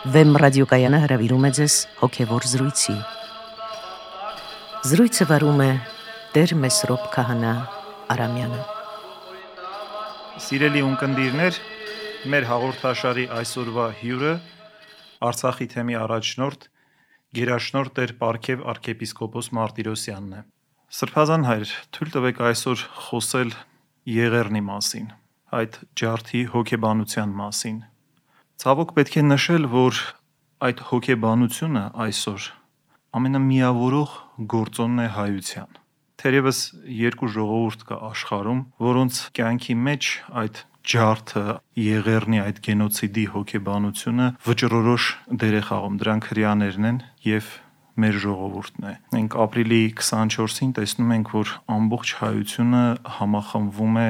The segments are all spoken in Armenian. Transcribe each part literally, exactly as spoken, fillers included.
Վեմ ռադիոկայանը հրավիրում է ձեզ հոգևոր զրույցի։ Զրույցը վարում է Տեր Մեսրոպ Քահանա Արամյանը։ Սիրելի ունկնդիրներ, մեր հաղորդաշարի այսօրվա հյուրը Արցախի թեմի առաջնորդ գերաշնորհ Տեր Պարքև arczepiskopos Մարտիրոսյանն է։ Սրբազան հայր, թույլ տվեք այսօր խոսել Եղեռնի մասին, այդ ջարդի հոգեբանության մասին։ Ցավոք պետք է նշել, որ այդ հոգեբանությունը այսօր ամենամիավորող գործոնն է հայության։ Թերևս երկու ժողովուրդ կա աշխարհում, որոնց կյանքի մեջ այդ ջարդը, Եղեռնի այդ գենոցիդի հոգեբանությունը վճռորոշ դեր է խաղում։ Դրանք հրեաներն են եւ մեր ժողովուրդն է։ Մենք ապրիլի քսանչորսին տեսնում ենք, որ ամբողջ հայությունը համախմբվում է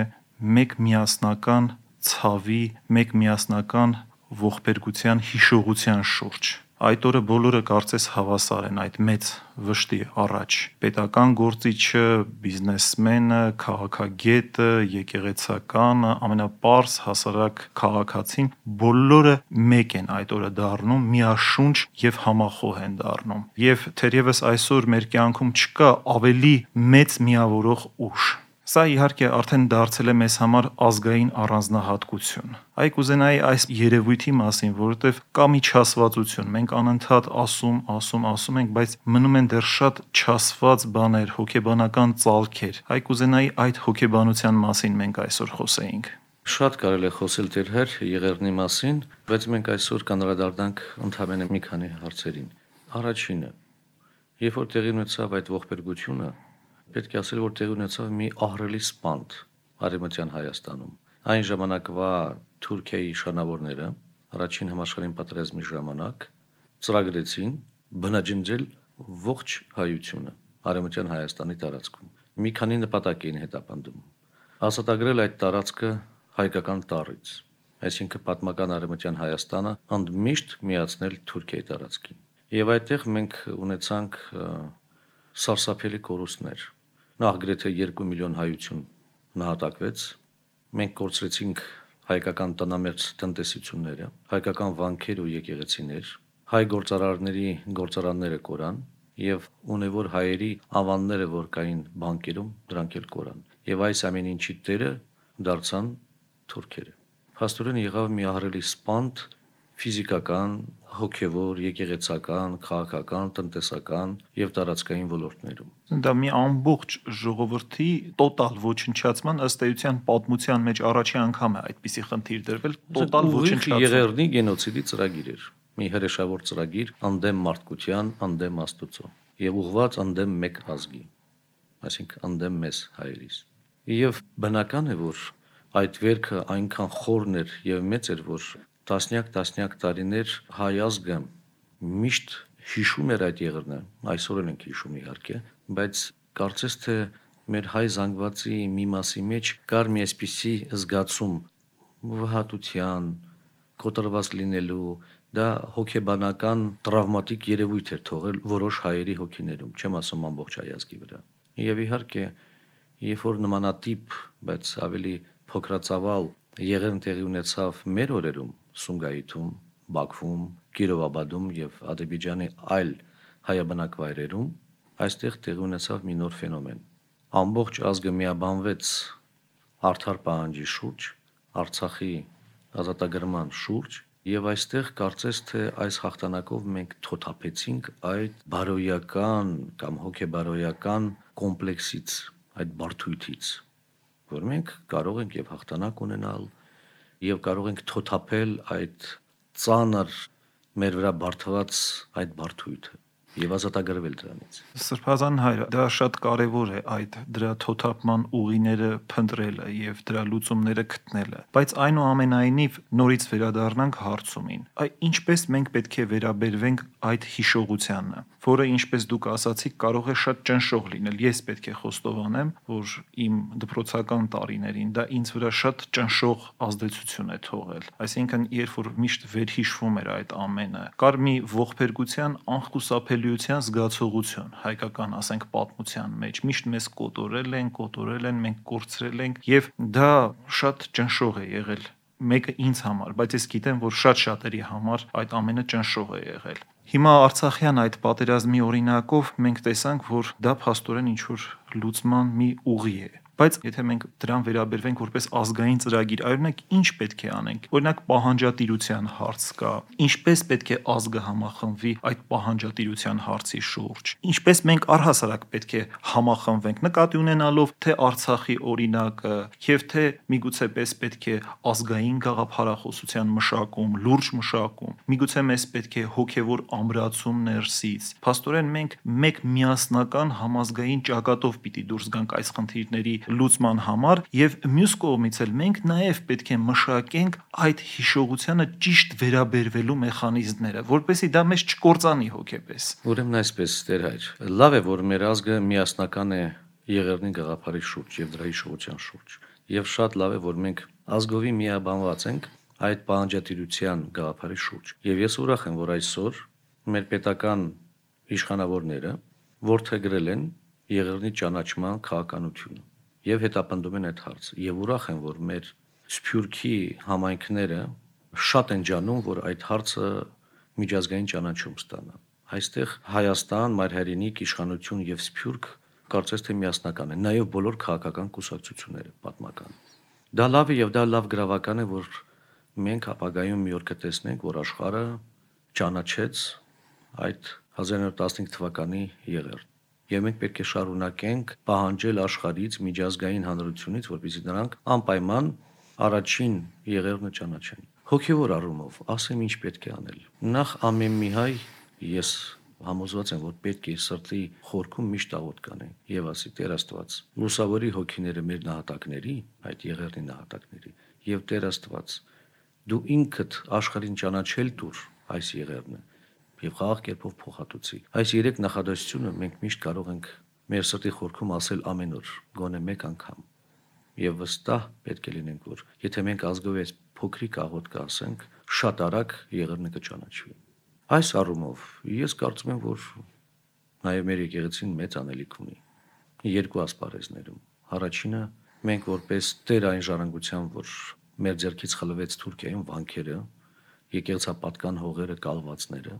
մեկ միասնական ցավի, մեկ միասնական ողբերգության հիշողության շուրջ։ Այդ օրը բոլորը կարծես հավասար են այդ մեծ վշտի առաջ։ Պետական գործիչը, բիզնեսմենը, քաղաքագետը, եկեղեցականը, ամենապարզ հասարակ քաղաքացին, բոլորը մեկ են այդ օրը դառնում, միաշունչ եւ համախոհ են դառնում։ Եվ թերևս այսօր մեր կյանքում չկա ավելի մեծ միավորող ուժ։ Սա իհարկե արդեն դարձել է մեզ համար ազգային առանձնահատկություն։ Այ կուզենայի այս երևույթի մասին, որովհետև կա մի չասվածություն, մենք անընդհատ ասում, ասում, ասում ենք, բայց մնում են դեռ շատ չասված բաներ, հոգեբանական ծալքեր։ Այ կուզենայի այդ հոգեբանության մասին մենք այսօր խոսեինք։ Շատ կարելի է խոսել Տեր հեր Եղեռնի մասին, բայց մենք այսօր կանդրադառնանք ընդհանրապես մի քանի հարցերին։ Առաջինը, երբ որ տեղի ունեցավ այդ ողբերգությունը, պետք է ասել, որ տեղի ունեցավ մի ահռելի սպանդ Արևմտյան Հայաստանում։ Այն ժամանակվա Թուրքիայի իշխանավորները առաջին համաշխարհային պատերազմի ժամանակ ծրագրեցին բնաջնջել ողջ հայությունը Արևմտյան Հայաստանի տարածքում։ Մի քանի նպատակ էին հետապնդում։ Ազատագրել այդ տարածքը հայկական տառից, այսինքն պատմական Արևմտյան Հայաստանը ընդմիշտ միացնել Թուրքիայի տարածքին։ Եվ այդտեղ մենք ունեցանք սարսափելի կորուստներ։ Նախ գրեթե երկու միլիոն հայություն նահատակվեց, մենք կորցրեցինք հայկական տնամերձ տնտեսությունները, հայկական վանքեր ու եկեղեցիներ, հայ գործարարների գործարանները կորան եւ ունևոր հայերի ավանները, որ կային բանկերում, դրանք էլ կորան։ Եվ այս ամեն ինչի տերը դարձան թուրքերը։ Փաստորեն եղավ մի ահռելի սպանդ ֆիզիկական, հոգևոր, եկեղեցական, քաղաքական, տնտեսական եւ տարածքային ոլորտներում։ Դա մի ամբողջ ժողովրդի տոտալ ոչնչացման ըստ էության պատմության մեջ առաջի անգամ է այդպիսի խնդիր դրվել, տոտալ ոչնչացում։ Եղեռնի գենոցիդի ծրագիր էր, մի հրեշավոր ծրագիր ընդդեմ մարդկության, ընդդեմ Աստծո եւ ուղղված ընդդեմ մեկ ազգի, այսինքն ընդդեմ մեզ հայերիս։ Եվ բնական է, որ այդ վերքը այնքան խորն էր եւ մեծ էր, որ տասնյակ-տասնյակ տարիներ հայ ազգը միշտ հիշում էր այդ եղեռնը, այսօր էլ ենք հիշում իհարկե, բայց կարծես թե մեր հայ զանգվածի մի մասի մեջ կար մի այսպիսի զգացում վհատության, կոտրված լինելու, դա հոգեբանական տրավմատիկ երևույթ էր թողել որոշ հայերի հոգիներում, չեմ ասում ամբողջ հայ ազգի վրա։ Եվ իհարկե, երբ որ նմանատիպ, բայց ավելի փոքրացավալ եղեռն տեղի ունեցավ մեր օրերում, Սումգայիթում, Բաքվում, Կիրովաբադում եւ Ադրբեջանի այլ հայաբնակ վայրերում, այստեղ տեղի ունեցավ մի նոր ֆենոմեն։ Ամբողջ ազգը միաբանվեց արդար պահանջի շուրջ, Արցախի ազատագրման շուրջ, եւ այստեղ կարծես թե այս հաղթանակով մենք թոթափեցինք այդ բարոյական կամ հոգեբարոյական կոմպլեքսից, այդ բարդույթից, որ մենք կարող ենք եւ հաղթանակ ունենալ եւ կարող ենք թոթափել այդ ծանր մեր վրա բարդված այդ բարդույթը եւ ազատագրվել դրանից։ Սրբազան հայր, դա շատ կարեւոր է այդ դրա թոթափման ուղիները փնտրելը եւ դրա լուծումները գտնելը, բայց այնուամենայնիվ նորից վերադառնանք հարցումին։ Այ ինչպես մենք պետք է վերաբերվենք այդ հիշողությանը, որը ինչպես դուք ասացիք, կարող է շատ ճնշող լինել։ Ես պետք է խոստովանեմ, որ իմ դպրոցական տարիներին դա ինձ վրա շատ ճնշող ազդեցություն է թողել։ Այսինքն, երբ որ միշտ վերհիշվում էր այդ ամենը, կար մի ողբերգության անխուսափելիության զգացողություն, հայկական, ասենք, պատմության մեջ միշտ մեզ կոտորել են, կոտորել են, մենք կորցրել ենք, եւ դա շատ ճնշող է եղել մեկը ինձ համար, բայց ես գիտեմ, որ շատ շատերի համար այդ ամենը ճնշող է եղել։ Հիմա Արցախյան այդ պատերազմի օրինակով մենք տեսանք, որ դա փաստորեն ինչ-որ լուծման մի ուղի է։ Բայց եթե մենք դրան վերաբերվենք որպես ազգային ծրագիր, այօրինակ ինչ պետք է անենք։ Օրինակ պահանջատիրության հարց կա։ Ինչպես պետք է ազգը համախմբվի այդ պահանջատիրության հարցի շուրջ։ Ինչպես մենք առհասարակ պետք է համախմբվենք, նկատի ունենալով թե Արցախի օրինակը, եւ թե միգուցե պես պետք է ազգային գաղափարախոսության մշակում, լուրջ մշակում։ Միգուցե մեզ պետք է հոգեվոր ամրացում ներսից։ Փաստորեն մենք մեկ միասնական համազգային ճակատով պիտի դուրս գանք այս խնդիրների լուծման համար, եւ մյուս կողմից էլ մենք նաեւ պետք է մշակենք այդ հիշողությանը ճիշտ վերաբերվելու մեխանիզմները, որպեսզի դա մեզ չկործանի հոգեպես։ Ուրեմն այսպես, Տեր հայր, լավ է, որ մեր ազգը միասնական է Եղեռնի գաղափարի շուրջ եւ դրա հիշողության շուրջ, եւ շատ լավ է, որ մենք ազգովի միաբանված ենք այդ պահանջատիրության գաղափարի շուրջ, եւ ես ուրախ եմ, որ այսօր մեր պետական իշխանավորները որդեգրել են Եղեռնի ճանաչման քաղաքականությունը եւ հետապնդում են այդ հարցը, եւ ուրախ եմ, որ մեր Սփյուռքի համայնքները շատ են ջանում, որ այդ հարցը միջազգային ճանաչում ստանա։ Այստեղ Հայաստան, Մայրհայրենիք, իշխանություն եւ Սփյուռք կարծես թե միասնական են, նաեւ բոլոր քաղաքական կուսակցությունները պատմական։ Դա լավ է եւ դա լավ գրավական է, որ մենք ապագայում մի օր կտեսնենք, որ աշխարհը ճանաչեց այդ հազար իննսուն տասնհինգ թվականի Եղեռն։ Եվ մենք պետք է շարունակենք պահանջել աշխարհից, միջազգային հանրությունից, որպեսզի նրանք անպայման առաջին Եղեռնը ճանաչեն։ Հոգևոր առումով ասեմ ինչ պետք է անել։ Նախ ամեն մի հայ, ես համոզված եմ, որ պետք է սրտի խորքում միշտ աղոթ կանեն եւ ասի Տեր Աստված, լուսավորի հոգիները մեր նահատակների, այդ Եղեռնի նահատակների, եւ Տեր Աստված, դու ինքդ աշխարհին ճանաչել տուր այս Եղեռնը եւ խաղաղ կերպով փոխհատուցի։ Այս երեք նախադասությունը մենք միշտ կարող ենք մեր սրտի խորքում ասել ամեն օր, գոնե մեկ անգամ։ Եվ վստահ պետք է լինենք, որ եթե մենք ազգով այս փոքրիկ աղոթք կասենք, շատ արագ Եղեռնը կճանաչվի։ Այս առումով ես կարծում եմ, որ նաեւ մեր եկեղեցին մեծ անելիք ունի երկու ասպարեզներում։ Առաջինը մենք որպես Տեր այն ժառանգության, որ մեր ձեռքից խլվեց Թուրքիայում վանքերը, եկեղեցապատկան հողերը, կալվածները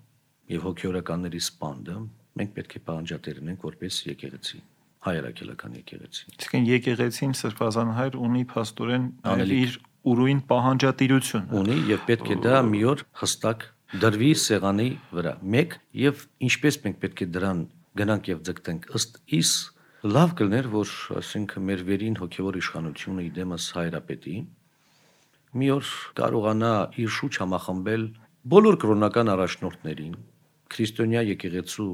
եւ հոգեորականների սպանդը, մենք պետք է պահանջատերնենք որպես եկեղեցի, հայրաքելական եկեղեցի։ Իսկն եկեղեցին Սրբազան հայր ունի փաստորեն իր ուրույն պահանջատիրություն ունի եւ պետք է դա մի օր հստակ դրվի սեղանի վրա։ Մեկ եւ ինչպես մենք պետք է դրան գնանք եւ ձգտենք ըստ իս լավ կլներ, որ ասենք մեր վերին հոգեվոր իշխանությունը իդեմս հայրապետի մի օր կարողանա իր շուչ համախմբել բոլոր կրոնական առաջնորդներին, քրիստոնյա եկեղեցու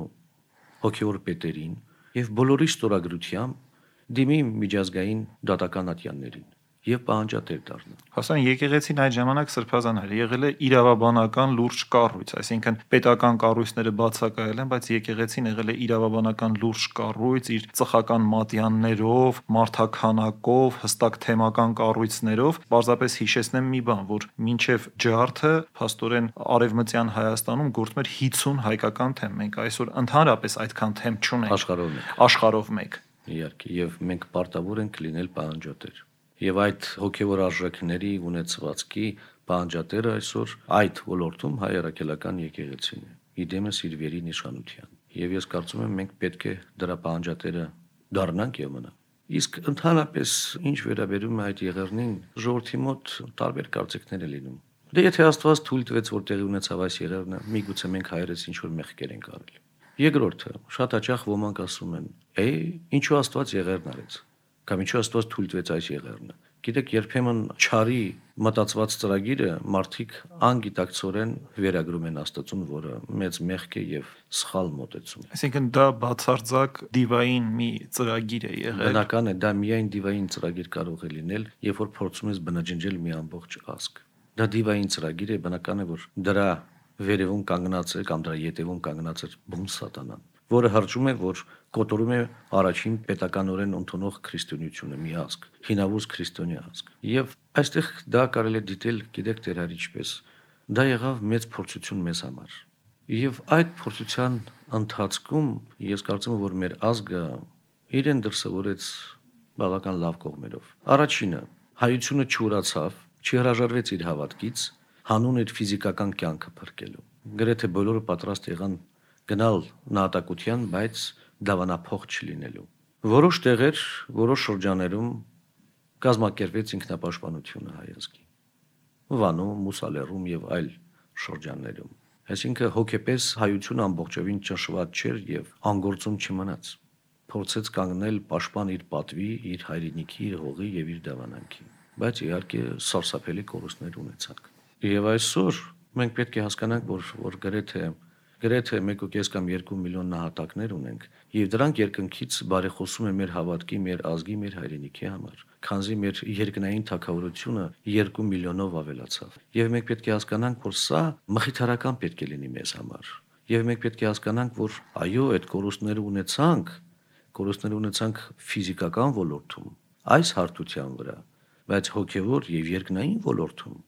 հոգևոր պետերին եւ բոլորի ստորագրությամբ դիմի միջազգային դատական ատյաններին եւ պահանջատեր դառնա։ Հասան եկեղեցին այդ ժամանակ Սրբազան հայր եղել է իրավաբանական լուրջ կառույց, այսինքն պետական կառույցները բացակայել են, բայց եկեղեցին եղել է իրավաբանական լուրջ կառույց, իր ծխական մատյաններով, մարդաքանակով, հստակ թեմական կառույցներով։ Պարզապես հիշեցնեմ մի բան, որ մինչև ջարդը փաստորեն արևմտյան Հայաստանում գործում էր հիսուն հայկական թեմ։ Մենք այսօր ընդհանրապես այդքան թեմ չունենք աշխարհով մեկ։ Աշխարհով մեկ։ Իհարկե, եւ մենք պարտավոր ենք լինել պահանջատեր։ Եվ այդ հոգևոր արժեքների ունեցվածքի պահանջատերը այսօր այդ ոլորտում հայ առաքելական եկեղեցին է, իդեմս իր վերին իշխանության։ Եվ ես կարծում եմ մենք պետք է դրա պահանջատերը դառնանք եւ մնանք։ Իսկ ընդհանրապես ինչ վերաբերում է այդ Եղեռնին, ժողովրդի մոտ տարբեր կարծիքներ է լինում։ Դե եթե Աստված թույլ տվեց, որ տեղի ունեցավ այս Եղեռնը, միգուցե մենք հայերս ինչ որ մեղքեր ենք արել։ Երկրորդը, շատ հաճախ ոմանք ասում են. «Է, ինչու Աստված Եղեռն արեց»։ Կամ ինչու Աստված թույլ տվեց այս Եղեռնը։ Գիտեք, երբեմն չարի մտածված ծրագիրը մարդիկ անգիտակցորեն վերագրում են Աստծուն, որը մեծ մեղք է եւ սխալ մոտեցում։ Այսինքն դա բացարձակ դիվային մի ծրագիր է եղել։ Բնական է, դա միայն դիվային ծրագիր կարող է լինել, երբ որ փորձում ես բնաջնջել մի ամբողջ ազգ։ Դա դիվային ծրագիր է, բնական է, որ դրա վերևում կանգնած է կամ դրա ետևում կանգնած է բուն սատանան, որը հրճում է, որ կոտորում է առաջին պետականորեն ընդունող քրիստոնեությունը, մի ազգ, հինավուրց քրիստոնյա ազգ։ Եվ այստեղ դա կարելի է դիտել, գիտեք Տեր հայր ինչպես, դա եղավ մեծ փորձություն մեզ համար։ Եվ այդ փորձության ընթացքում ես կարծում եմ, որ մեր ազգը իրեն դրսևորեց բավական լավ կողմերով։ Առաջինը, հայությունը չուրացավ Չհրաժարվեց իր հավատքից, հանուն իր ֆիզիկական կյանքը փրկելու։ Գրեթե բոլորը պատրաստ եղան գնալ նահատակության, բայց դավանափոխ չլինելու։ Որոշ տեղեր, որոշ շրջաներում կազմակերպվեց ինքնապաշտպանությունը հայ ազգի։ Վանում, Մուսալերում եւ այլ շրջաններում։ Այսինքն հոգեպես հայությունը ամբողջովին ճնշված չէր եւ անգործում չմնաց։ Փորձեց կանգնել պաշտպան իր պատվի, իր հայրենիքի, իր հողի եւ իր դավանանքի։ Բայց իհարկե սարսափելի կորուստներ ունեցանք։ Եվ այսօր մենք պետք է հասկանանք, որ որ գրեթե գրեթե մեկ ու կես կամ երկու միլիոն նահատակներ ունենք, եւ դրանք երկնքից բարեխոսում է մեր հավատքի, մեր ազգի, մեր հայրենիքի համար։ Քանզի մեր երկնային թագավորությունը երկու միլիոնով ավելացավ։ Եվ մենք պետք է հասկանանք, որ սա մխիթարական պետք է լինի մեզ համար։ Եվ մենք պետք է հասկանանք, որ այո, այդ կորուստները ունեցանք, կորուստներ ունեցանք ֆիզիկական ոլորտում, այս հարթության վրա, բայց հոգևոր եւ երկնային ոլորտում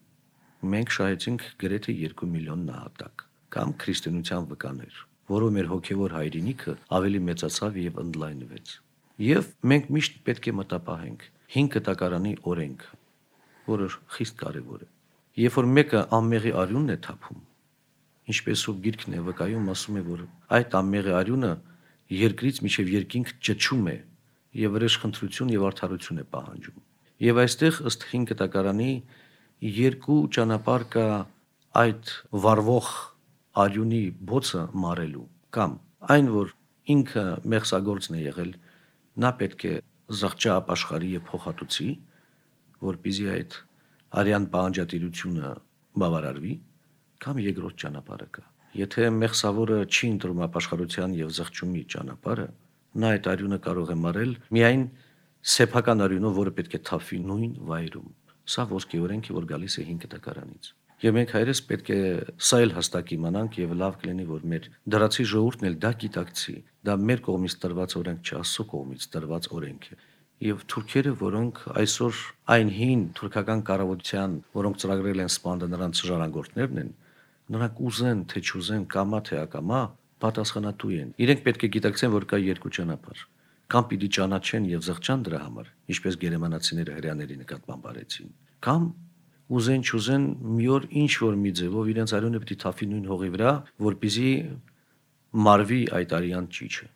մենք շահեցինք գրեթե երկու միլիոն նահատակ կամ քրիստոնեության վկաներ, որով մեր հոգևոր հայրենիքը ավելի մեծացավ եւ ընդլայնվեց։ Եվ մենք միշտ պետք է մտապահենք հին կտակարանի օրենքը, որը խիստ կարևոր է։ Երբ որ մեկը անմեղի արյունն է թափում, ինչպես ու գիրքն է վկայում, ասում է, որ այդ անմեղի արյունը երկրից մինչև երկինք ճչում է եւ վրեժխնդրություն եւ արդարություն է պահանջում։ Եվ այստեղ ըստ հին կտակարանի երկու ճանապարհ կա այդ վառվող արյունի բոցը մարելու, կամ այն, որ ինքը մեղսագործն է եղել, նա պետք է զղջա ապաշխարի եւ փոխհատուցի, որպեսզի այդ արյան պահանջատիրությունը բավարարվի, կամ երկրորդ ճանապարհը կա։ Եթե մեղսավորը չի ընտրում ապաշխարության եւ զղջումի ճանապարհը, նա այդ արյունը կարող է մարել միայն սեփական արյունով, որը պետք է թափվի նույն վայրում։ Սա ոսկե օրենք է, որ գալիս է հին կտակարանից։ Եվ մենք հայրս պետք է սա էլ հստակ իմանանք եւ լավ կլինի, որ մեր դրացի ժողովուրդն էլ դա գիտակցի։ Դա մեր կողմից տրված օրենք չէ, Աստծո կողմից տրված օրենք է։ Եվ թուրքերը, որոնք այսօր այն հին թուրքական կառավարության, որոնք ծրագրել են սպանդը նրանց ժառանգորդներն են, նրանք ուզեն, թե չուզեն, կամա թե ակամա, պատասխանատու են։ Իրենք պետք է գիտակցեն, որ կա երկու ճանապարհ։ Կամ պիտի ճանաչեն եւ զղջան դրա համար, ինչպես գերմանացիները հрьяաների նկատմամբ արեցին, կամ ուզեն չուզեն մի օր ինչ որ մի ձևով իրենց արյունը պիտի թափի նույն հողի վրա, որպեսզի մարվի այդ արյան ճիճը։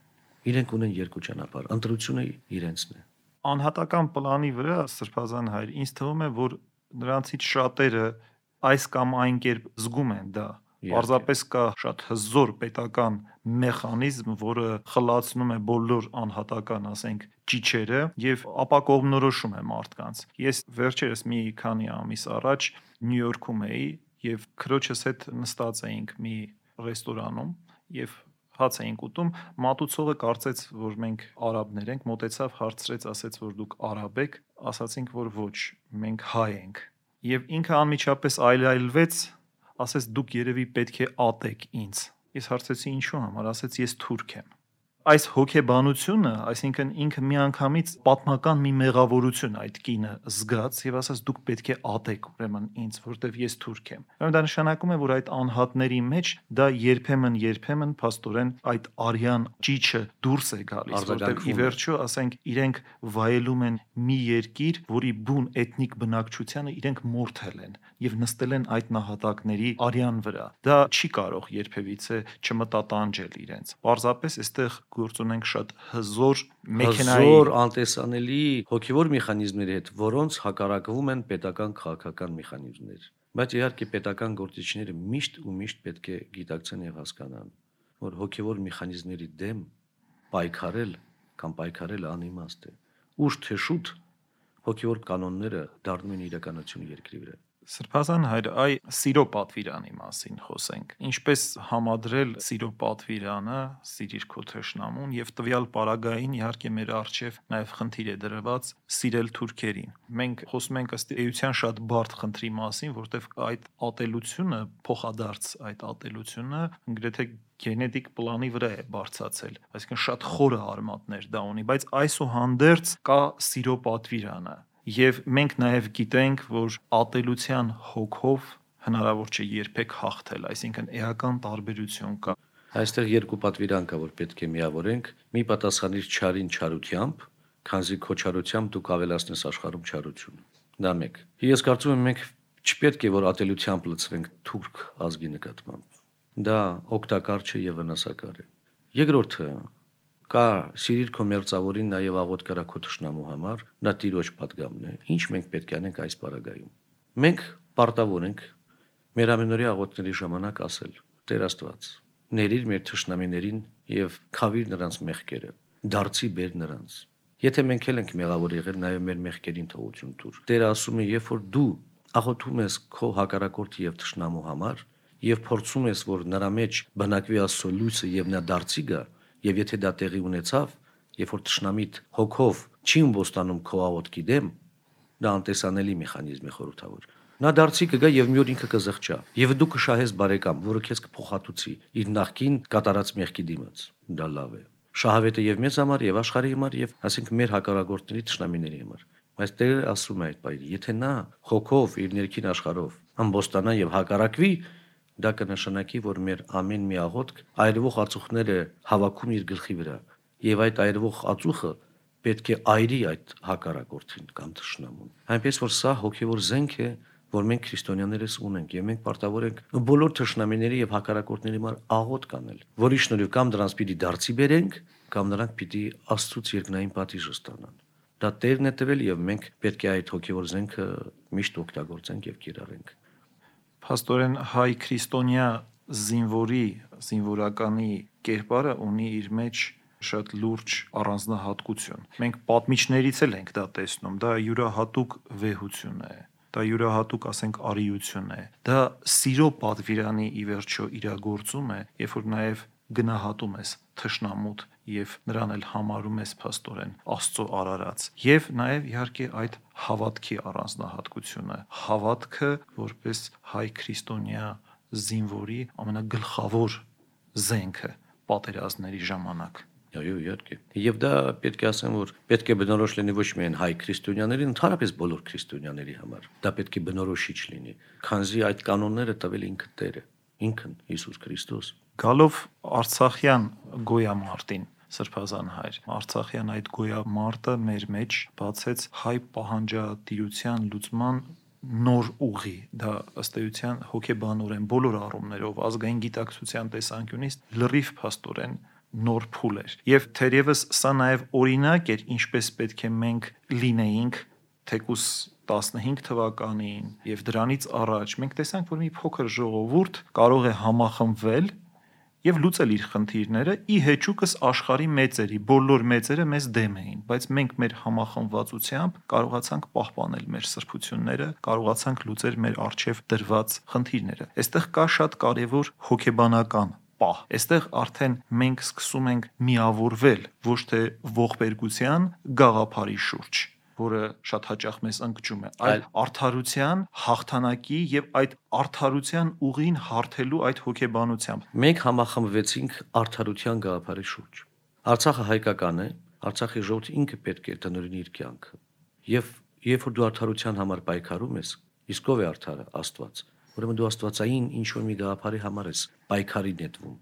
Իրենք ունեն երկու ճանապարհ, ընտրությունը իրենցն է։ Անհատական պլանի վրա Սրբազան հայր, ինձ թվում է, որ նրանցից շատերը այս կամ այն կերպ զգում են դա։ Պարզապես կա շատ հզոր պետական մեխանիզմ, որը խլացնում է բոլոր անհատական, ասենք, ճիճերը եւ ապակողմնորոշում է մարդկանց։ Ես վերջերս մի քանի ամիս առաջ Նյու Յորքում էի եւ քրոջս հետ նստած էինք մի ռեստորանում եւ հաց էինք ուտում, մատուցողը կարծեց, որ մենք արաբներ ենք, մոտեցավ, հարցրեց, ասեց, որ դուք արաբ եք, ասացինք, որ ոչ, մենք հայ ենք։ Եվ ինքը անմիջապես այլայլվեց, ասեց դուք երևի պետք է ատեք ինձ։ Ես հարցեցի ինչու համար, ասեց ես թուրք եմ։ Այս հոգեբանությունը, այսինքն ինքը միանգամից պատմական մի մեղավորություն այդ կինը զգաց եւ ասաց դուք պետք է ատեք ուրեմն ինձ, որտեվ ես թուրք եմ։ Ուրեմն դա նշանակում է, որ այդ անհատների մեջ դա երբեմն երբեմն փաստորեն այդ արյան ճիճը դուրս է գալիս, որտեվ ի վերջո, ասենք, իրենք վայելում են մի երկիր, որի բուն էթնիկ բնակչությանը իրենք մորթել են եւ նստել են այդ նահատակների արյան վրա։ Դա չի կարող երբևիցե չմտատանջել իրենց։ Պարզապես այստեղ գործ ունենք շատ հզոր մեքենայի, հզոր անտեսանելի հոգևոր մեխանիզմների հետ, որոնց հակառակվում են պետական քաղաքական մեխանիզմներ։ Բայց իհարկե պետական գործիչները միշտ ու միշտ պետք է գիտակցեն եւ հասկանան, որ հոգևոր մեխանիզմների դեմ պայքարել կամ պայքարել անիմաստ է։ Ուշ թե շուտ հոգևոր կանոնները դառնում են իրականություն երկրի վրա։ Սրբազան հայր, այ սիրո պատվիրանի մասին խոսենք։ Ինչպես համադրել սիրո պատվիրանը, սիրիր քո թշնամուն եւ տվյալ պարագային իհարկե մեր առջև նաեւ խնդիր է դրված սիրել թուրքերին։ Մենք խոսում ենք ըստ էության շատ բարդ խնդրի մասին, որտեղ այդ ատելությունը, փոխադարձ այդ ատելությունը գրեթե գենետիկ պլանի վրա է բարձացել, այսինքն շատ խորը արմատներ դա ունի, բայց այսուհանդերձ կա սիրո պատվիրանը։ Եվ մենք նաև գիտենք, որ ատելության հոգով հնարավոր չէ երբեք հաղթել, այսինքն էական տարբերություն կա։ Այստեղ երկու պատվիրան կա, որ պետք է միավորենք, մի պատասխանիր չարին չարությամբ, քանզի քո չարությամբ դու կավելացնես աշխարհում չարություն։ Դա մեկ։ Ես կարծում եմ մենք չպետք է որ ատելությամբ լցվենք թուրք ազգի նկատմամբ։ Դա օգտակար չէ եւ վնասակար է։ Երկրորդը կա սիրիր քո մերձավորին նաեւ աղոտ կրա քո թշնամու համար, դա տիրոջ պատգամն է։ Ինչ մենք պետք է անենք այս պարագայում։ Մենք պարտավոր ենք մեր ամենօրյա աղոթների ժամանակ ասել. Տեր Աստված, ներիր մեր թշնամիներին եւ քավիր նրանց մեղքերը, դարձի բեր նրանց։ Եթե մենք էլ ենք մեղավոր եղել, նաեւ մեր մեղքերին թողություն տուր։ Տերը ասում է, երբ որ դու աղոթում ես քո հակառակորդի եւ թշնամու համար եւ փորձում ես, որ նրա մեջ բնակվի Աստծո լույսը եւ նա դարձի գա, եւ եթե դա տեղի ունեցավ, երբ որ թշնամիտ հոգով չի ըմբոստանում քո աղոթքի դեմ, դա անտեսանելի մեխանիզմ է խորհրդավոր։ Նա դարձի կգա եւ մի օր ինքը կզղջա եւ դու կշահես բարեկամ, որը քեզ կփոխհատուցի իր նախքին կատարած մեղքի դիմաց։ Դա լավ է։ Շահավետը եւ մեզ համար եւ աշխարհի համար եւ ասենք մեր հակառակորդների թշնամիների համար։ Բայց Տերը ասում է այդ բայրի, եթե նա խոքով իր ներքին աշխարհով ամբոստանա եւ հակառակվի, դա կնշանակի, որ մեր ամեն մի աղոթք այրվող ածուխները հավաքում իր գլխի վրա եւ այդ այրվող ածուխը պետք է այրի այդ հակառակորդին կամ թշնամուն։ Այնպես որ սա հոգեվոր զենք է, որ մենք քրիստոնյաներս ունենք եւ մենք պարտավոր ենք բոլոր թշնամիների եւ հակառակորդների համար աղոթք անել, որի շնորհիվ կամ դրանց պիտի դարձի բերենք, կամ նրանք պիտի Աստծուց երկնային պատիժը ստանան։ Դա Տերն է տվել եւ մենք պետք է այդ հոգեվոր զենքը միշտ օգտագործենք եւ կիրառենք։ Փաստորեն հայ քրիստոնյա զինվորի, զինվորականի կերպարը ունի իր մեջ շատ լուրջ առանձնահատկություն։ Մենք պատմիչներից էլ ենք դա տեսնում, դա յուրահատուկ վեհություն է, դա յուրահատուկ, ասենք, արիություն է, դա սիրո պատվիրանի ի վերջո իրագործում է, երբ որ նաև գնահատում ես թշնամուտ եւ նրան էլ համարում ես փաստորեն Աստծո արարած, եւ նաեւ իհարկե այդ հավատքի առանձնահատկությունը, հավատքը որպես հայ քրիստոնյա զինվորի ամենագլխավոր զենքը պատերազմների ժամանակ։ Այո, իհարկե։ Եվ դա պետք է ասեմ, որ պետք է բնորոշ լինի ոչ միայն հայ քրիստոնյաների, ընդհանրապես բոլոր քրիստոնյաների համար։ Դա պետք է բնորոշիչ լինի, քանզի այդ կանոնները տվել ինքը Տերը, ինքն Հիսուս Քրիստոս։ Գալով Արցախյան գոյամարտին, Սրբազան հայր, Արցախյան այդ գոյամարտը մեր մեջ բացեց հայ պահանջատիրության լուծման նոր ուղի, դա ըստ էության հոգեբանորեն բոլոր առումներով ազգային գիտակցության տեսանկյունից լրիվ փաստորեն նոր փուլ էր։ Եվ թերևս սա նաև օրինակ էր, ինչպես պետք է մենք լինեինք թեկուս տասնհինգ թվականին եւ դրանից առաջ մենք տեսանք, որ մի փոքր ժողովուրդ կարող է համախմբվել եւ լուծել իր խնդիրները ի հեճուկս աշխարհի մեծերի, բոլոր մեծերը մեզ դեմ էին, բայց մենք մեր համախմբվածությամբ կարողացանք պահպանել մեր սրբությունները, կարողացանք լուծել մեր առջև դրված խնդիրները։ Այստեղ կա շատ կարևոր հոգեբանական պահ։ Այստեղ արդեն մենք սկսում ենք միավորվել ոչ թե ողբերգության գաղափարի շուրջ, որը շատ հաճախ մեզ ընկճում է, այլ արդարության հաղթանակի եւ այդ արդարության ուղին հարթելու այդ հոգեբանությամբ։ Մենք համախմբվեցինք արդարության գաղափարի շուրջ։ Արցախը հայկական է, Արցախի ժողովուրդը ինքը պետք է տնօրինի իր կյանքը։ Եվ երբ որ դու արդարության համար պայքարում ես, իսկ ով է արդարը? Աստված։ Ուրեմն դու աստվածային ինչ որ մի գաղափարի համար ես պայքարի նետվում։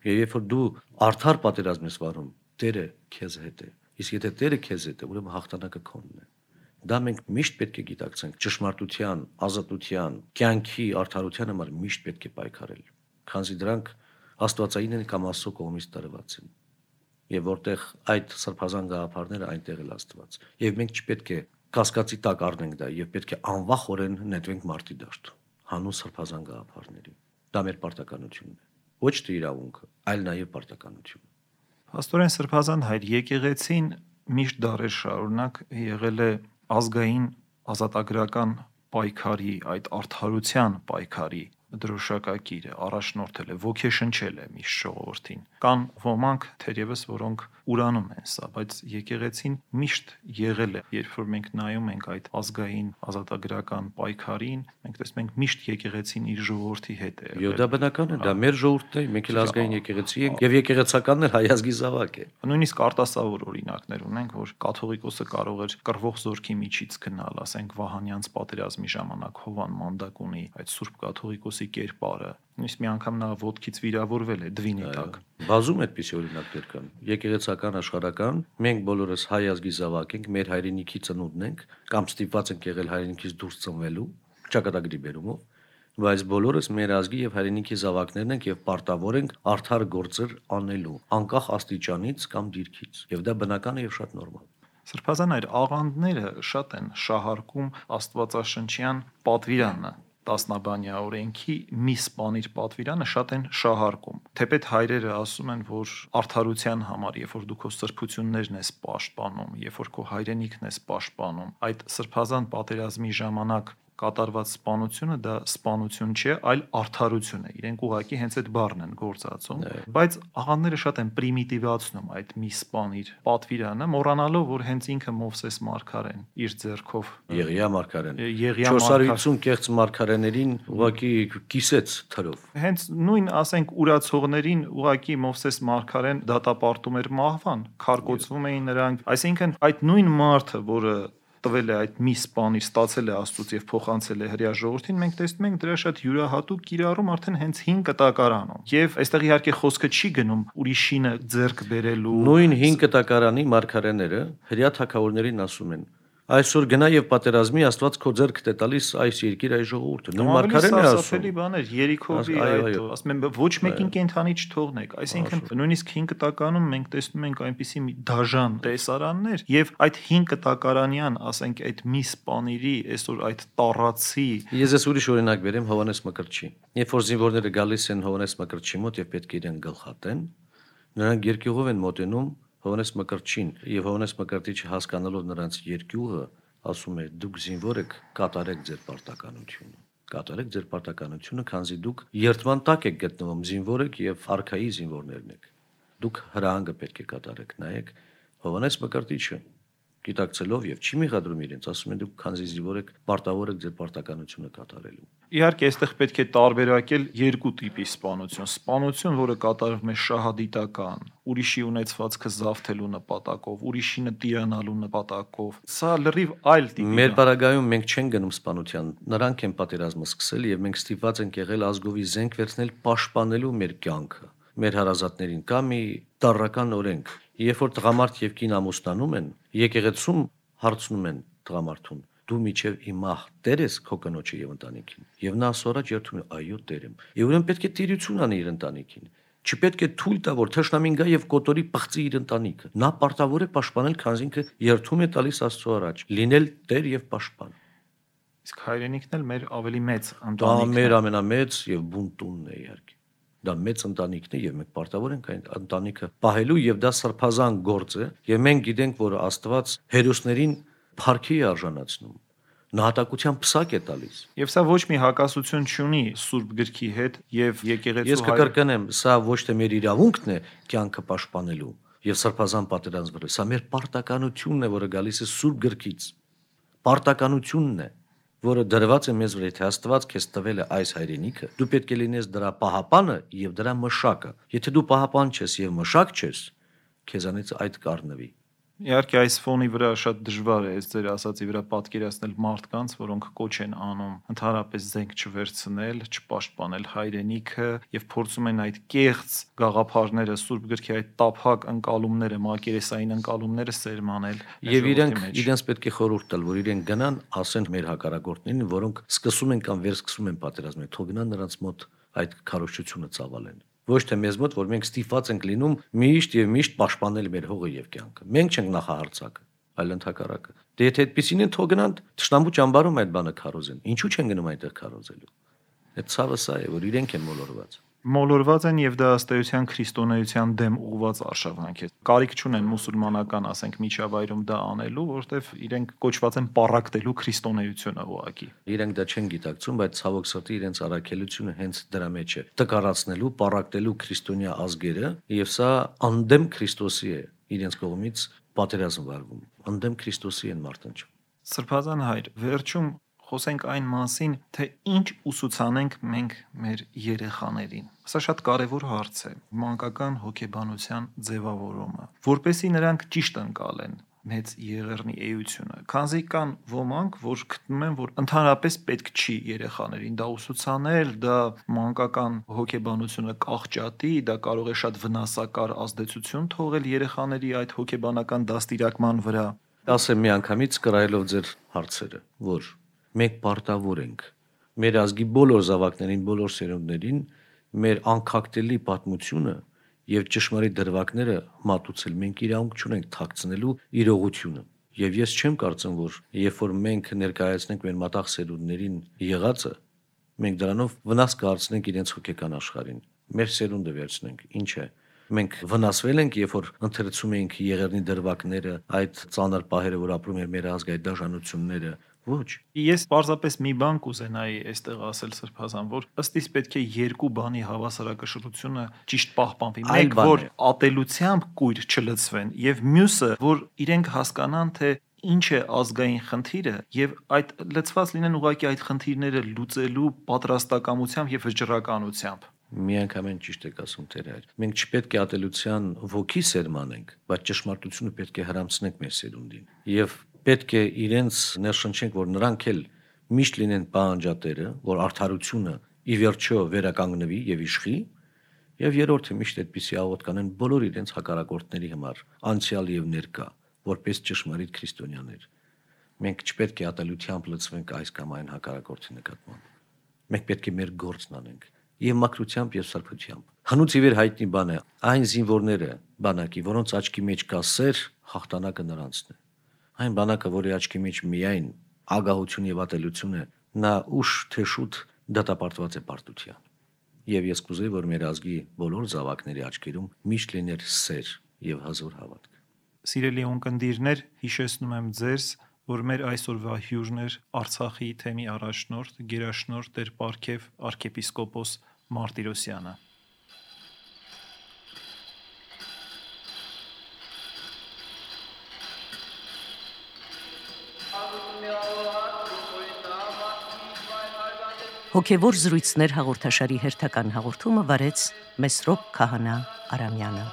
Եվ երբ որ դու արդար պատերազմ ես վարում, Տերը քեզ հետ է։ Իսկ եթե Տերը քեզ հետ է, ուրեմն հաղթանակը քոնն է։ Դա մենք միշտ պետք է գիտակցենք, ճշմարտության, ազատության, կյանքի արդարության համար միշտ պետք է պայքարել, քանզի դրանք աստվածային են կամ Աստծո կողմից տրված են։ Եվ որտեղ այդ սրբազան գաղափարները այնտեղ էլ Աստված։ Եվ մենք չպետք է կասկածի տակ առնենք դա եւ պետք է անվախորեն նետվենք մարտի դաշտ հանուն սրբազան գաղափարների։ Դա մեր պարտականությունն է։ Ոչ թե իրավունքը, այլ նաեւ պարտականություն։ Աստորեն Սրբազան հայր, եկեղեցին միշտ դարեր շարունակ եղել է ազգային ազատագրական պայքարի, այդ արդարության պայքարի դրոշակակիրը, առաջնորդել է, ոգեշնչել է միշտ ժողովրդին։ Կան ոմանք թերևս, որոնք ուրանում են սա, բայց եկեղեցին միշտ եղել է, երբ որ մենք նայում ենք այդ ազգային ազատագրական պայքարին, մենք տեսնում ենք միշտ եկեղեցին իր ժողովրդի հետ է։ Եվ դա բնական է, դա մեր ժողովուրդն է, մենք էլ ազգային եկեղեցի ենք, եւ եկեղեցականն էլ հայ ազգի զավակ է։ Նույնիսկ արտասովոր օրինակներ ունենք, որ կաթողիկոսը կարող էր կռվող զորքի միջից գնալ, ասենք Վահանյանց պատերազմի ժամանակ Հովան Մանդակունի այդ Սուրբ կաթողիկոսի կերպարը, նույնիսկ մի անգամ նա ոտքից վիրավորվել է դվինի տակ։ Բազում այդպիսի օրինակներ կան։ Եկեղեցական աշխարհական մենք բոլորս հայ ազգի զավակ ենք, մեր հայրենիքի ծնունդն ենք, կամ ստիպված ենք եղել հայրենիքից դուրս ծնվելու, ճակատագրի բերումով, բայց բոլորս մեր ազգի եւ հայրենիքի զավակներն ենք եւ պարտավոր ենք արդար գործեր անելու, անկախ աստիճանից կամ դիրքից, եւ դա բնական է եւ շատ նորմալ։ Սրբազան այր աղանդները շատ են շահարկում աստվածաշնչյան պատվիրանը, տասնաբանյա օրենքի մի սպանիր պատվիրանը շատ են շահարկում։ Թեպետ հայրերը ասում են, որ արդարության համար, երբ որ դու քո սրբություններն ես պաշտպանում, երբ որ քո հայրենիքն ես պաշտպանում, այդ սրբազան պատերազմի ժամանակ կատարված սպանությունը դա սպանություն չէ, այլ արդարություն է։ Իրենք ուղղակի հենց այդ բառն են գործածում, բայց աղանդները շատ են պրիմիտիվացնում այդ մի սպանիր պատվիրանը, մոռանալով, որ հենց ինքը Մովսես մարգարեն իր ձեռքով Եղիա մարգարեն Եղիա չորս հարյուր ութ կեղծ մարգարեներին ուղղակի կիսեց թրով։ Հենց նույն, ասենք, ուրացողներին ուղղակի Մովսես մարգարեն դատապարտում էր մահվան, քարկոծվում էին նրանք, այսինքն այդ նույն մարդը, որը տվել է այդ մի սպանիր, ստացել է Աստծուց եւ փոխանցել է հրեա ժողովրդին, մենք տեսնում ենք դրա շատ յուրահատուկ կիրառում արդեն հենց հին կտակարանում։ Եվ այստեղ իհարկե խոսքը չի գնում ուրիշինը ձեռք բերելու։ Նույն հին կտակարանի մարգարեները հրեա թագավորներին ասում են. այսօր գնա եւ պատերազմի, Աստված քո ձեռքդ է տալիս այս երկիր, այս ժողովուրդը։ Նույն մարգարենը ասում։ Սարսափելի բաներ, Երիքովի այդ, ասում են, ոչ մեկին կենթանի չթողնեք։ Այսինքն նույնիսկ հին կտակարանում մենք տեսնում ենք այնպիսի մի դաժան տեսարաններ եւ այդ հին կտակարանյան, ասենք, այդ մի սպանիրի, այսօր այդ տառացի։ Ես ես ուրիշ օրինակ բերեմ Հովանես Մկրտչի։ Երբ որ զինվորները գալիս են Հովանես Մկրտչի մոտ եւ պետք է իրեն գլխատեն, նրանք երկյուղով են մոտենում Հովանես Մկրտչին եւ Հովանես Մկրտիչը հասկանալով նրանց երկյուղը ասում է դուք զինվոր եք, կատարեք ձեր պարտականությունը, կատարեք ձեր պարտականությունը, քանզի դուք երթման տակ եք գտնվում, զինվոր եք եւ արքայի զինվորներն եք, դուք հրահանգը պետք է կատարեք։ Նայեք Հովանես Մկրտիչը գիտակցելով եւ չի մեղադրում իրենց, ասում են դուք քանզի զինվոր եք, պարտավոր եք ձեր պարտականությունը կատարելու։ Իհարկե, այստեղ պետք է տարբերակել երկու տիպի սպանություն։ Սպանություն, որը կատարվում է շահադիտական, ուրիշի ունեցվածքը զավթելու նպատակով, ուրիշինը տիրանալու նպատակով։ Սա լրիվ այլ տիպի։ Մեր բարագայում մենք չենք գնում սպանության, նրանք են պատերազմը սկսել եւ մենք ստիպված ենք եղել ազգովի զենք վերցնել պաշտպանելու մեր կյանքը, մեր հարազատներին։ Կա մի տարրական օրենք, երբ որ տղամարդ եւ կին ամուսնանում են, եկեղեցում հարցնում են տղամարդուն. դու միջև իմահ տեր ես քո կնոջը եւ ընտանիքին։ Եվ նա ասորաջ երթում է, այո, տեր եմ։ Եվ ուրեմն պետք է տիրություն անի իր ընտանիքին։ Չպետք է թույլ տա, որ թշնամին գա եւ կոտորի պղծի իր ընտանիքը։ Նա պարտավոր է պաշտպանել, քանզի ինքը երթում է տալիս Աստծո առաջ, լինել տեր եւ պաշտպան։ Իսկ հայրենիքն էլ մեր ավելի մեծ Դա ընտանիքն է։ մեր ամենամեծ եւ բուն տունն է իհարկե։ Դա մեծ ընտանիքն է եւ մենք պարտավոր ենք այն ընտանիքը պահելու եւ դա սրբազան գործ է եւ մենք գիտենք, որ Աստված հերոսներին փառքի է արժանացնում, նահատակության պսակ է տալիս։ Եվ սա ոչ մի հակասություն չունի Սուրբ գրքի հետ եւ եկեղեցու Ես կկրկնեմ, սա ոչ թե մեր իրավունքն է կյանքը պաշտպանելու եւ սրբազան պատերազմը, սա մեր պարտականությունն է, որը գալիս է Սուրբ գրքից։ Պարտականությունն է, որը դրված է մեզ վրա, թե Աստված քեզ տվել է այս հայրենիքը, դու պետք է լինես դրա պահապանը եւ դրա մշակը։ Եթե դու պահապան չես եւ մշակ չես, քեզանից այդ կառնվի։ Իհարկե այս ֆոնի վրա շատ դժվար է այս ձեր ասածի վրա պատկերացնել մարդկանց, որոնք կոչ են անում ընդհանրապես զենք չվերցնել, չպաշտպանել հայրենիքը եւ փորձում են այդ կեղծ գաղափարները, Սուրբ գրքի այդ տափակ ընկալումները, մակերեսային ընկալումները սերմանել։ Եվ իրենք իրենց պետք է խորհուրդ տալ, որ իրենք գնան, ասեն մեր հակառակորդներին, որոնք սկսում են կամ վերսկսում են պատերազմը, թող գնան նրանց մոտ այդ քարոզչությունը ծավալեն։ Ոչ թե մեզ մոտ, որ մենք ստիպված ենք լինում միշտ եւ միշտ պաշտպանել մեր հողը եւ կյանքը։ Մենք չենք նախահարցակը, այլ ընդհակառակը։ Դե եթե այդպեսին են, թող գնան Տշնամու ճամբարում այդ բանը քարոզեն։ Ինչու չեն գնում այնտեղ քարոզելու։ Այդ ցավը սա է, որ իրենք են մոլորված։ Մոլորված են եւ դա ըստ էության քրիստոնեության դեմ ուղված արշավանք է։ Կարիք չունեն մուսուլմանական, ասենք, միջավայրում դա անելու, որովհետեւ իրենք կոչված են պարակտելու քրիստոնեությունը ուղակի։ Իրենք դա չեն գիտակցում, բայց ցավոք սրտի իրենց առաքելությունը հենց դրա մեջ է՝ տկարացնելու, պարակտելու քրիստոնյա ազգերը, եւ սա անդեմ Քրիստոսի է իրենց կողմից պատերազմ վարվում։ Անդեմ Քրիստոսի են մարտնչում։ Սրբազան հայր, վերջում խոսենք այն մասին, թե ինչ ուսուցանենք մենք մեր երեխաներին։ Սա շատ կարևոր հարց է՝ մանկական հոգեբանության ձևավորումը, որպեսզի նրանք ճիշտ ընկալեն մեծ եղեռնի էությունը, քանզի կան ոմանք, որ գտնում են, որ ընդհանրապես պետք չի երեխաներին դա ուսուցանել, դա մանկական հոգեբանությունը կախճատի, դա կարող է շատ վնասակար ազդեցություն թողել երեխաների այդ հոգեբանական դաստիարակման վրա։ Ասեմ միանգամից կրայելով ձեր հարցերը, որ մենք պարտավոր ենք մեր ազգի բոլոր զավակներին, բոլոր սերունդներին մեր անքակտելի պատմությունը եւ ճշմարիտ դրվագները մատուցել։ Մենք իրավունք չունենք թաքցնելու իրողությունը։ Եվ ես չեմ կարծում, որ երբ որ մենք ներկայացնենք մեր մտաղ սերունդներին եղածը, մենք դրանով վնաս կհարցնենք իրենց հոգեկան աշխարհին։ Մեր սերունդը վերցնենք, ինչ է։ Մենք վնասվել ենք, երբ որ ընթերցում էինք եղեռնի դրվագները, այդ ծանր պահերը, որ ապրում էր մեր ազգը, այդ դաժանությունները։ Ոչ։ Ես պարզապես մի բան կուզենայի այստեղ ասել Սրբազան, որ ըստ իս պետք է երկու բանի հավասարակշռությունը ճիշտ պահպանվի։ Մեկ, որ ատելությամբ կույր չլցվեն, եւ մյուսը, որ իրենք հասկանան, թե ինչ է ազգային խնդիրը, եւ այդ լցված լինեն ուղղակի այդ խնդիրները լուծելու պատրաստակամությամբ եւ վճռականությամբ։ Միանգամայն ճիշտ եք ասում Տեր հայր։ Մենք չպետք է ատելության ոգի սերմանենք, բայց ճշմարտությունը պետք է հրամցնենք մեր սերունդին։ Եվ պետք է իրենց ներշնչենք, որ նրանք էլ միշտ լինեն պահանջատերը, որ արդարությունը ի վերջո վերականգնվի եւ իշխի, եւ երրորդը միշտ այդպիսի աղոթ կանեն բոլոր իրենց հակառակորդների համար, անցյալ եւ ներկա, որպես ճշմարիտ քրիստոնյաներ։ Մենք չպետք է ատելությամբ լցվենք այս կամ այն հակառակորդի նկատմամբ։ Մենք պետք է մեր գործն անենք եւ մաքրությամբ եւ սրբությամբ։ Հնուց ի վեր հայտնի բան է, այն զինվորները բանակի, որոնց աչքի մեջ կա սեր, հաղթանակը նրանցն է։ Այն բանակը, որի աչքի մեջ միայն ագահություն եւ ատելություն է, նա ուշ թե շուտ դատապարտված է պարտության։ Եվ ես կուզեի, որ մեր ազգի բոլոր զավակների աչքերում միշտ լիներ սեր եւ հազոր հավատք։ Սիրելի ունկնդիրներ, հիշեցնում եմ ձեզ, որ մեր այսօրվա հյուրն էր Արցախի թեմի առաջնորդ, գերաշնորհ Տեր Պարքև arczepiskopos Martirosyan-ը։ Հոգևոր զրույցներ հաղորդաշարի հերթական հաղորդումը վարեց Մեսրոպ Քահանա Արամյանը։